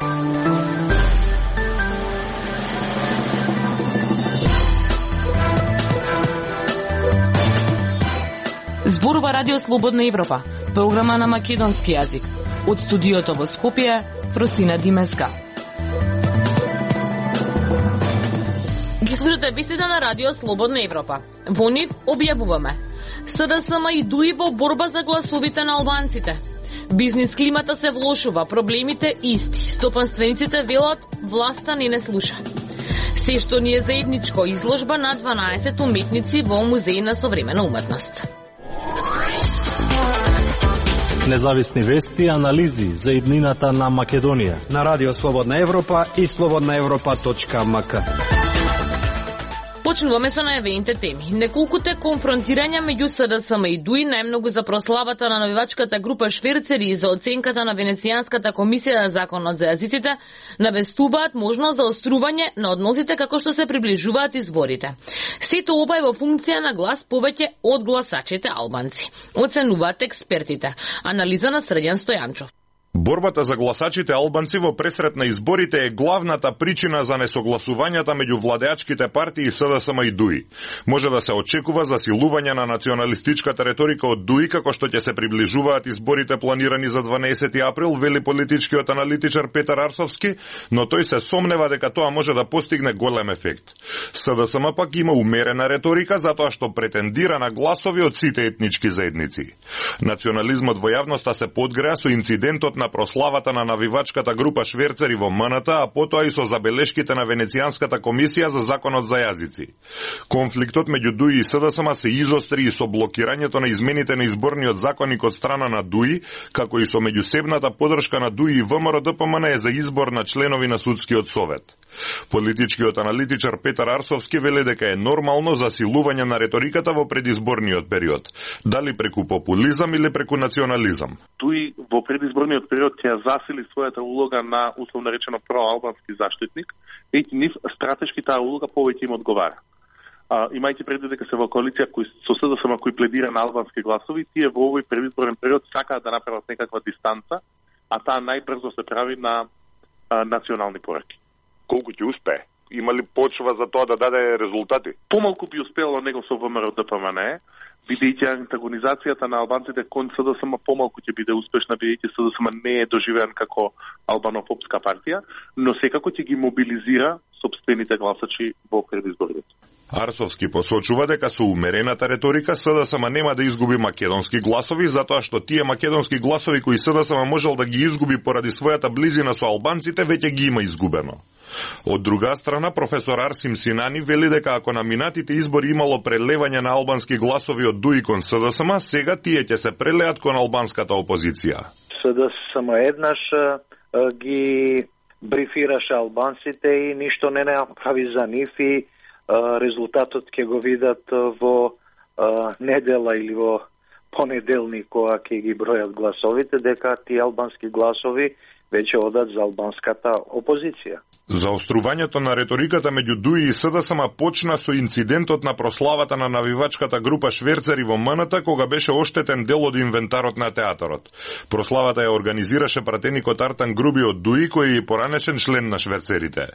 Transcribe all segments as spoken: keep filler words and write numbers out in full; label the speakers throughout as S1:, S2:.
S1: Зборува Радио Слободна Европа, програма на македонски јазик. Од студиото во Скопје, Просина Димеска. Ги слушате вестите на Радио Слободна Европа. Во нив објавуваме: СДСМ и ДУИ во борба за гласовите на албанците. Бизнис климата се влошува, проблемите исти. Стопанствениците велат, власта не не слуша. Се што ни е заедничко, изложба на дванаесет уметници во Музеј на современа уметност.
S2: Независни вести и анализи за иднината на Македонија
S3: на Радио Слободна Европа и слободна европа точка ем ка.
S1: Почнуваме со најавените теми. Неколкуте конфронтирања меѓу СДСМ и ДУИ, најмногу за прославата на навивачката група Шверцери и за оценката на Венецијанската комисија за законот за јазиците, навестуваат можност за острување на односите како што се приближуваат изборите. Сето ова е во функција на глас повеќе од гласачите албанци, оценуваат експертите. Анализа на Срđan Стојанчов.
S4: Борбата за гласачите албанци во пресрет на изборите е главната причина за несогласувањата меѓу владеачките партии СДСМ и ДУИ. Може да се очекува засилување на националистичката реторика од ДУИ како што ќе се приближуваат изборите планирани за дванаесети април, вели политичкиот аналитичар Петар Арсовски, но тој се сомнева дека тоа може да постигне голем ефект. СДСМ пак има умерена реторика затоа што претендира на гласови од сите етнички заедници. Национализмот во јавноста се подгреа со инцидентот на прославата на навивачката група Шверцери во МНТ, а потоа и со забелешките на Венецијанската комисија за законот за јазици. Конфликтот меѓу ДУИ и СДСМ се изостри и со блокирањето на измените на изборниот законник од страна на ДУИ, како и со меѓусебната подршка на ДУИ и ВМРО-ДПМН е за избор на членови на судскиот совет. Политичкиот аналитичар Петар Арсовски вели дека е нормално засилување на реториката во предизборниот период, дали преку популизам или преку национализам.
S5: ДУИ во предизборниот период ќе засили својата улога на условно речено проалбански заштитник, и нив стратешки таа улога повеќе им одговара. А, имајќи предвид дека се во коалиција кој со СДСМ кој пледира на албански гласови, тие во овој предизборен период сакаат да направат некаква дистанца, а таа најбрзо се прави на а, национални пораки.
S4: Колку ќе успее? Има ли почва за тоа да даде резултати?
S5: Помалку би успело него со ВМРО-ДПМН, бидејќи антагонизацијата на албанците кон СДСМ помалку ќе биде успешна, бидејќи СДСМ не е доживеан како албанофобска партија, но секако ќе ги мобилизира сопствените гласачи во предизборите.
S4: Арсовски посочува дека со умерената реторика СДСМ нема да изгуби македонски гласови, затоа што тие македонски гласови кои СДСМ можел да ги изгуби поради својата близина со албанците, веќе ги има изгубено. Од друга страна, професор Арсим Синани вели дека ако на минатите избори имало прелевање на албански гласови од ДУИ кон СДСМ, сега тие ќе се прелеат кон албанската опозиција.
S6: СДСМ еднаш ги брифираше албанците и ништо не направи за нив и резултатот ќе го видат во недела или во понеделник кога ќе ги бројат гласовите, дека тие албански гласови веќе одат за албанската опозиција.
S4: Заострувањето на реториката меѓу ДУИ и СДСМ почна со инцидентот на прославата на навивачката група Шверцери во МНТ, кога беше оштетен дел од инвентарот на театарот. Прославата ја организираше пратеникот Артан Груби од ДУИ, кој е поранешен член на Шверцерите.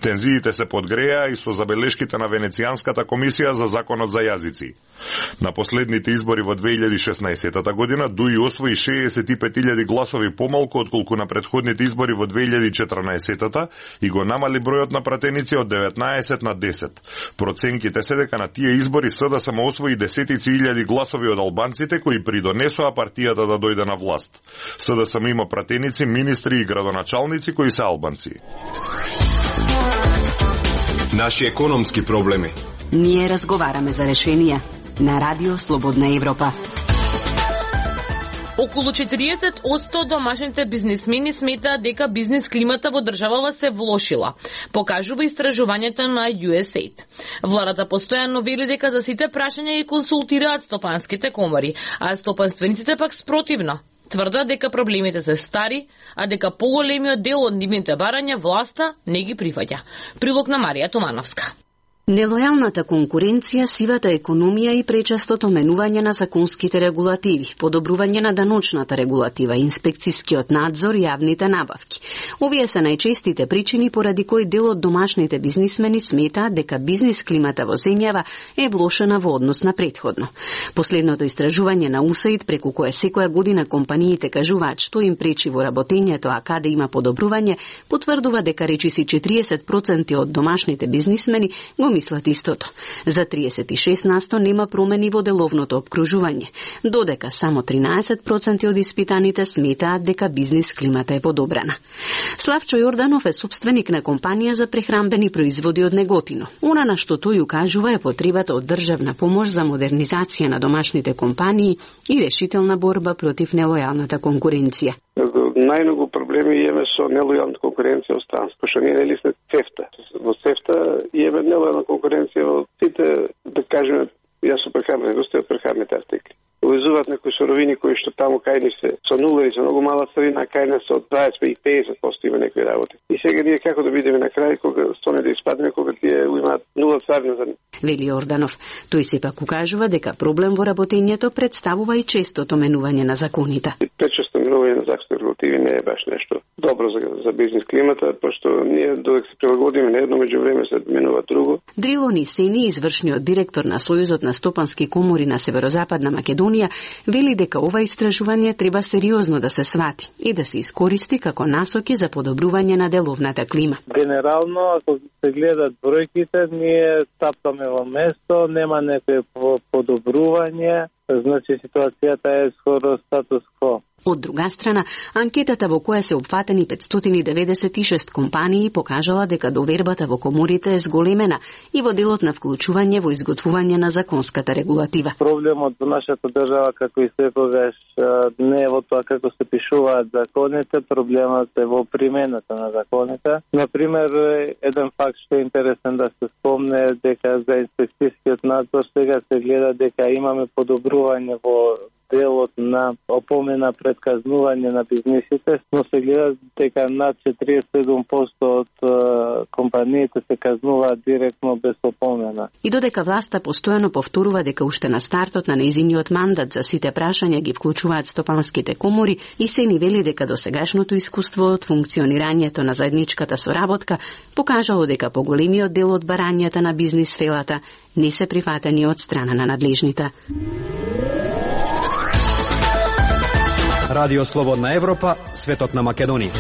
S4: Тензиите се подгреа и со забелешките на Венецијанската комисија за законот за јазици. На последните избори во две илјади и шеснаесетта година ДУИ освои шеесет и пет илјади гласови помалку отколку на претходните избори во две илјади и четрнаесетта и го намали бројот на пратеници од деветнаесет на десет. Проценките се дека на тие избори СДСМ освои десетици илјади гласови од албанците кои придонесоа партијата да дојде на власт. СДСМ има пратеници, министри и градоначалници кои се албанци.
S3: Наши економски проблеми.
S7: Ние разговараме за решенија на Радио Слободна Европа.
S1: Околу четириесет одсто домашните бизнисмени сметаат дека бизнис климата во државава се влошила, покажува истражувањето на ю ес ей ай ди. Владата постојано вели дека за сите прашања ги консултираат стопанските комори, а стопанствениците пак спротивно. Тврдат дека проблемите се стари, а дека поголемиот дел од нивните барања власта не ги прифаќа. Прилог на Марија Томановска.
S7: Нелојалната конкуренција, сивата економија и пречестото менување на законските регулативи, подобрување на даночната регулатива, инспекцискиот надзор и јавните набавки. Овие се најчестите причини поради кои дел од домашните бизнисмени сметаат дека бизнис климата во земјава е влошена во однос на претходно. Последното истражување на УСАИД, преку кое секоја година компаниите кажуваат што им пречи во работењето, а каде има подобрување, потврдува дека речиси четириесет проценти од домашните бизнисмени го мислат истото. За триесет и шест насто нема промени во деловното обкружување, додека само тринаесет проценти од испитаните сметаат дека бизнис климата е подобрана. Славчо Јорданов е собственик на компанија за прехранбени производи од Неготино. Она на што тој укажува е потребата од државна помош за модернизација на домашните компании и решителна борба против нелојалната конкуренција.
S8: Најмногу проблеми имаме со нелојална конкуренција од странство, што ние нели сме цефта. Во цефта имаме нелојална конкуренција од сите, да кажеме, јас сум прехранбена индустрија од прехранбените артикли. Увезуваат некои суровини кои што таму кај ни се со нула и со многу мала царина, кај нас од дваесет и песет проценти има некои работи. И сега ние како да бидеме на крај кога стоне да испадне кога тие имаат нула царина за нив.
S7: Вели Јорданов. Тој сепак укажува дека проблем во работењето представува и честото менување на законите.
S8: Пречесто менување на законски регулативи не е баш нешто добро за, за бизнис климата, пошто ние додека се прилагодиме на едно, меѓувреме се менува друго.
S7: Дрило Нисени, извршниот директор на Сојузот на стопански комори на Северозападна Македонија, вели дека ова истражување треба сериозно да се свати и да се искористи како насоки за подобрување на деловната клима.
S9: Генерално, ако се гледат бројките, ние тапкаме во место, нема некој подобрување, значи ситуацијата е скоро статус кво.
S7: Од друга страна, анкетата во која се опфатени петстотини деветдесет и шест компании покажала дека довербата во коморите е зголемена и во делот на вклучување во изготвување на законската регулатива.
S9: Проблемот во нашата држава, како и секогаш, не е во тоа како се пишуваат законите, проблемот е во примената на законите. Например, еден факт што е интересен да се спомне е дека за инспекцијскиот надзор сега се гледа дека имаме подобрување во делот на опомена пред казнување на бизнисите, но се гледа дека над четириесет и седум проценти од uh, компаниите се казнуваат директно без опомена.
S7: И додека власта постојано повторува дека уште на стартот на нејзиниот мандат за сите прашања ги вклучуваат стопанските комори, и се ни вели дека досегашното искуство од функционирањето на заедничката соработка покажало дека поголемиот дел од барањата на бизнис сферата не се прифатени од страна на надлежните.
S3: Радио Слободна Европа, светот на Македонија.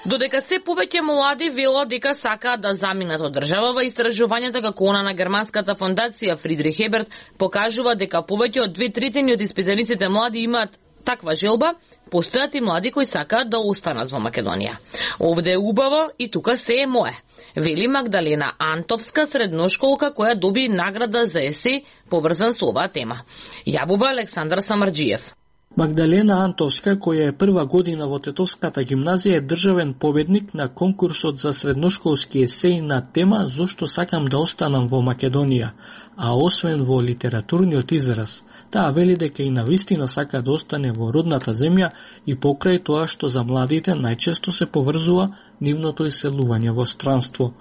S1: Додека се повеќе млади велат дека сакаат да заминат од држава, истражувањата како она на германската фондација Фридрих Еберт покажува дека повеќе од две третини од испитаниците млади имаат таква желба, постојат и млади кои сакаат да останат во Македонија. Овде е убаво и тука се е мое, вели Магдалена Антовска, средношколка која доби награда за есеј поврзан со оваа тема. Јавува Александар Самарџиев.
S10: Магдалена Антовска, која е прва година во Тетовската гимназија, е државен победник на конкурсот за средношколски есеј на тема «Зошто сакам да останам во Македонија», а освен во литературниот израз. Таа вели дека и навистина сака да остане во родната земја и покрај тоа што за младите најчесто се поврзува нивното иселување во странство.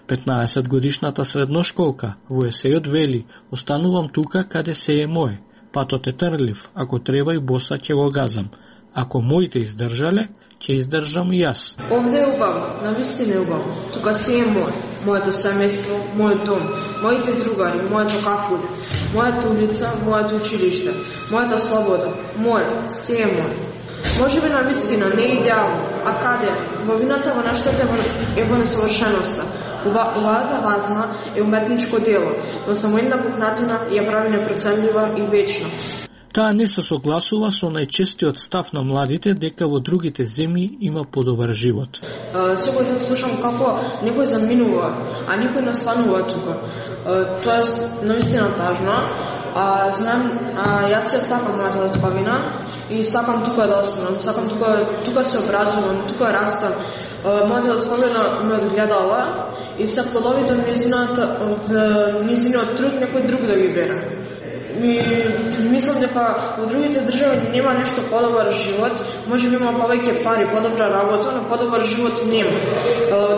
S10: петнаесет годишната средношколка во есејот вели: «Останувам тука каде се е мој. Патот е трлив, ако треба и боса ќе го газам. Ако моите издржале, ќе издржам и јас».
S11: Овде е убаво, навистина е убаво. Тука се е мој. Моето семејство, мојот дом, моите другари, моето кафуле, мојата улица, моето училиште, мојата слобода, мој, се е мој. Може би навистина не е идеално, а каде? Во вината во нештата е во несовршеноста. Оваата вазна е уметничко дело, но само една пукнатина ја прави непроценлива и вечна.
S10: Таа не се согласува со најчестиот став на младите дека во другите земји има подобар живот.
S11: Секој ден слушам како некој заминува, а никој не останува тука. Тоа е наистина тажно. А, знам, а, јас ја сакам мојата отпавина и сакам тука да останам, сакам тука, тука се образувам, тука растам. Мојата отпавина ме одгледала и се плодовите од низиниот труд некој друг да ги бере. И мислам дека во другите држави нема нешто подобар живот, може би има повеќе пари, подобра работа, но подобар живот нема.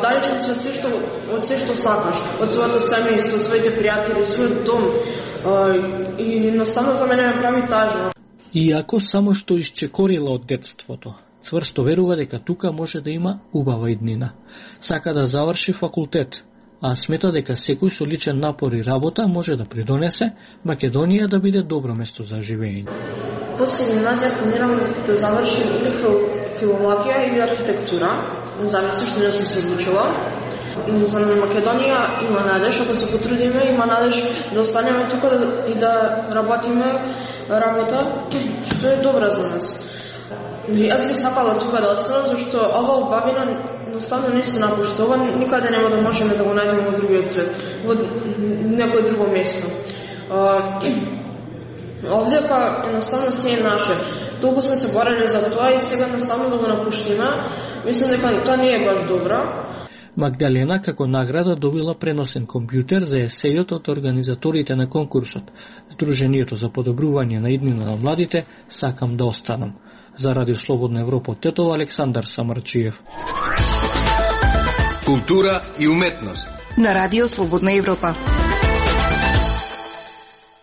S11: Далечен си од се што од се што сакаш, од своето семејство, своите пријатели, својот дом. И едноставно за мене ме прави тажно.
S10: Иако само што исчекорила од детството, цврсто верува дека тука може да има убава иднина. Сака да заврши факултет, а смета дека секој со личен напор и работа може да придонесе Македонија да биде добро место за живење.
S11: После гимназија планирам да завршим или филологија или архитектура, зависи што не сум се одлучила. За Македонија има надеж, ако се потрудиме, има надеж да останеме тука и да работиме работа што е добра за нас. Јас би сакала тука да останам, зашто ова убавина едноставно не се напуштува, никаде нема да можеме да го најдеме во другиот свет, во некој друго место. Овдека едноставно се е наше. Толку сме се борели за тоа и сега едноставно да го напуштиме, мислам дека тоа не е баш добро.
S10: Магдалена како награда добила преносен компјутер за есејот од организаторите на конкурсот. Сдруженијето за подобрување на иднина на младите "Сакам да останам". За Радио Слободна Европа од Тетово, Александар Самарчиев.
S12: Култура и уметност
S13: на Радио Слободна Европа.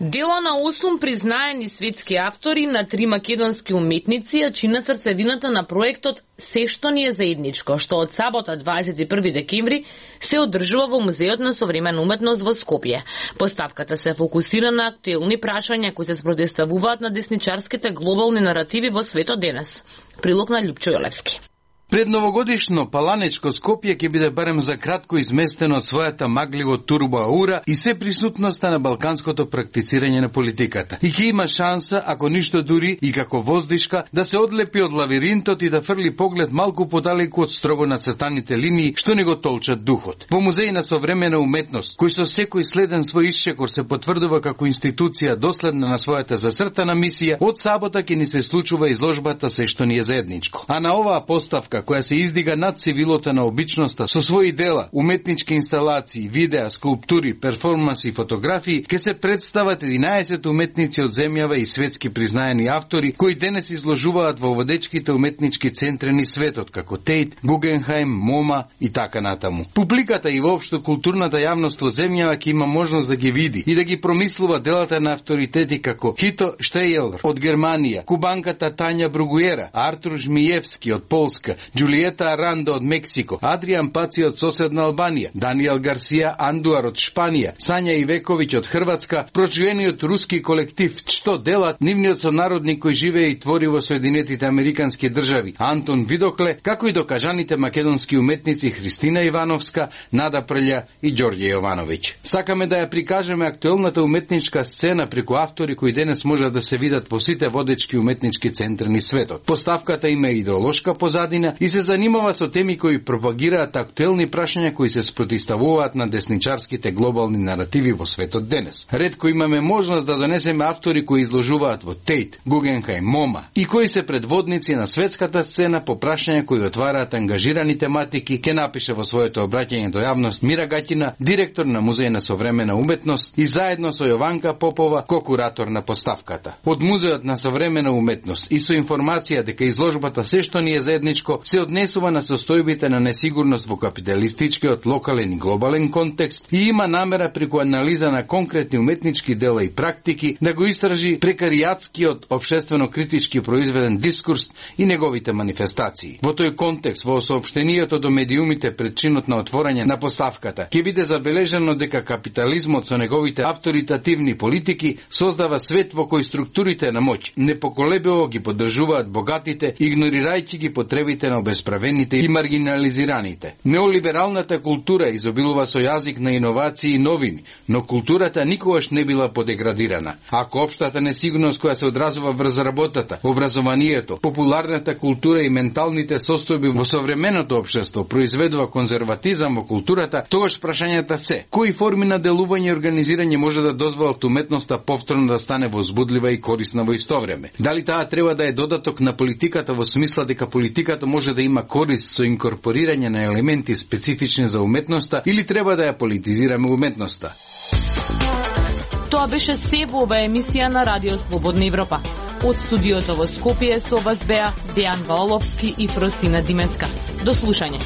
S1: Дело на осум признаени светски автори на три македонски уметници ја чинат срцевината на проектот "Се што ни е заедничко", што од сабота дваесет и први декември се одржува во Музеот на современа уметност во Скопје. Поставката се фокусира на актуелни прашања кои се спротивставуваат на десничарските глобални наративи во светот денес. Прилог на Љупчо Јолевски.
S12: Предновогодишно паланечко Скопје ќе биде барем за кратко изместено од својата магливо турбо аура и се присутноста на балканското практицирање на политиката. И ќе има шанса, ако ништо дури и како воздишка, да се одлепи од лавиринтот и да фрли поглед малку подалеку од строго нацртаните линии што не го толчат духот. Во Музеј на современа уметност, кој со секој следен свој исчекор се потврдува како институција доследна на својата зацртана мисија, од сабота ќе ни се случува изложбата "Се што ни е заедничко". А на оваа поставка која се издига над цивилото на обичноста со своји дела, уметнички инсталации, видеа, скулптури, перформанси и фотографии, ќе се представат единаесет уметници од земјава и светски признаени автори кои денес изложуваат во водечките уметнички центри низ светот, како Тейт, Гугенхаим, Мома и така натаму. Публиката и воопшто културната јавност во земјава ќе има можност да ги види и да ги промислува делата на авторитети како Хито Штејелер од Германија, кубанката Тања Бругуера, Артур Жмиевски од Полска, Джулиета Арандо од Мексико, Адриан Паци од соседна Албанија, Даниел Гарсија Андуар од Шпанија, Сања Ивековиќ од Хрватска, прочуениот руски колектив Што делат, нивниот сонародник кој живее и твори во Соединетите Американски држави, Антон Видокле, како и докажаните македонски уметници Христина Ивановска, Нада Прља и Ѓорѓе Јовановиќ. Сакаме да ја прикажеме актуелната уметничка сцена преку автори кои денес можат да се видат во сите водечки уметнички центри низ светот. Поставката има идеолошка позадина и се занимава со теми кои пропагираат актуелни прашања кои се спротивставуваат на десничарските глобални наративи во светот денес. Ретко имаме можност да донесеме автори кои изложуваат во Тейт, Гугенхаим, Мома и кои се предводници на светската сцена по прашања кои отвараат ангажирани тематики, ке напише во своето обраќање до јавност Мира Гаќина, директор на Музеј на современа уметност и заедно со Јованка Попова, ко-куратор на поставката. Од Музеот на современа уметност и со информација дека изложбата "Се што ни е заедничко" се однесува на состојбите на несигурност во капиталистичкиот локален и глобален контекст и има намера преку анализа на конкретни уметнички дела и практики да го истражи прекаријатскиот општествено-критички произведен дискурс и неговите манифестации. Во тој контекст, во соопштенијето до медиумите пред чинот на отворање на поставката, ќе биде забележано дека капитализмот со неговите авторитативни политики создава свет во кој структурите на моќ непоколебиво ги поддржуваат богатите, игнорирајќи ги потребите на обесправените и маргинализираните. Неолибералната култура изобилува со јазик на иновации и новини, но културата никогаш не била подеградирана. Ако општата несигурност која се одразува врз работата, образованието, популарната култура и менталните состојби во современото општество произведува конзерватизам во културата, тогаш прашањата се: кои форми на делување и организирање може да дозволат уметноста повторно да стане возбудлива и корисна во исто време? Дали таа треба да е додаток на политиката во смисла дека политиката може да има корист со инкорпорирање на елементи специфични за уметноста или треба да ја политизираме уметноста?
S1: Тоа беше се во оваа емисија на Радио Слободна Европа. Од студиото во Скопје со вас беа Дејан Ваоловски и Фросина Димеска. До слушање.